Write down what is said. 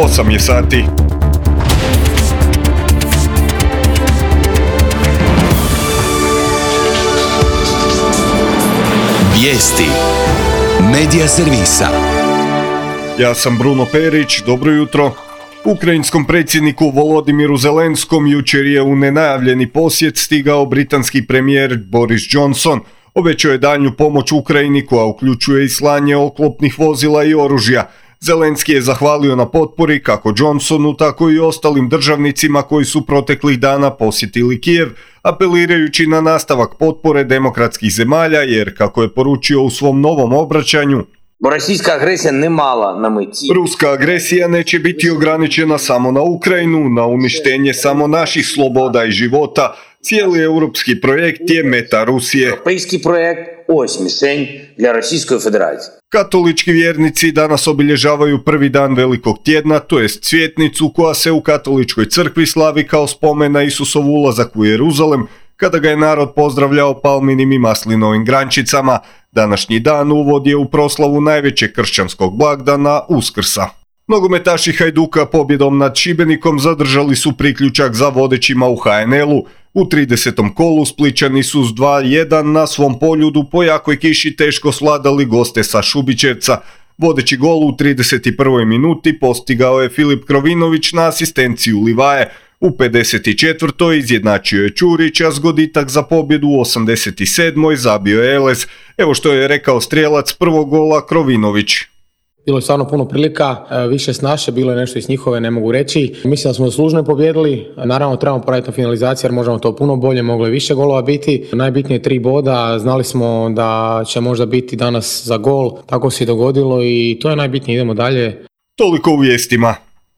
8 je sati. Vijesti Medija servisa. Ja sam Bruno Perić, dobro jutro. Ukrajinskom predsjedniku Volodimiru Zelenskom jučer je u nenajavljeni posjet stigao britanski premijer Boris Johnson. Obećao je daljnju pomoć Ukrajini koja uključuje i slanje oklopnih vozila i oružja. Zelenski je zahvalio na potpori kako Johnsonu, tako i ostalim državnicima koji su proteklih dana posjetili Kijev, apelirajući na nastavak potpore demokratskih zemalja jer, kako je poručio u svom novom obraćanju, ruska agresija neće biti ograničena samo na Ukrajinu, na uništenje samo naših sloboda i života. Cijeli europski projekt je meta Rusije. Katolički vjernici danas obilježavaju prvi dan Velikog tjedna, to jest Cvjetnicu, koja se u katoličkoj crkvi slavi kao spomen na Isusovu ulazak u Jeruzalem, kada ga je narod pozdravljao palminim i maslinovim grančicama. Današnji dan uvod je u proslavu najvećeg kršćanskog blagdana Uskrsa. Nogometaši Hajduka pobjedom nad Šibenikom zadržali su priključak za vodećima u HNL-u. U 30. kolu Splićani su s 2-1 na svom Poljudu po jakoj kiši teško svladali goste sa Šubićevca. Vodeći gol u 31. minuti postigao je Filip Krovinović na asistenciju Livaje. U 54. izjednačio je Ćurić, a zgoditak za pobjedu u 87. zabio je Eles. Evo što je rekao strijelac prvog gola Krovinović. Bilo je stvarno puno prilika, više s naše, bilo je nešto iz njihove, ne mogu reći. Mislim da smo zaslužno pobijedili, naravno trebamo poraditi na finalizaciji jer možemo to puno bolje, moglo je više golova biti. Najbitnije 3 boda, znali smo da će možda biti danas za gol, tako se i dogodilo i to je najbitnije, idemo dalje. Toliko u vijestima.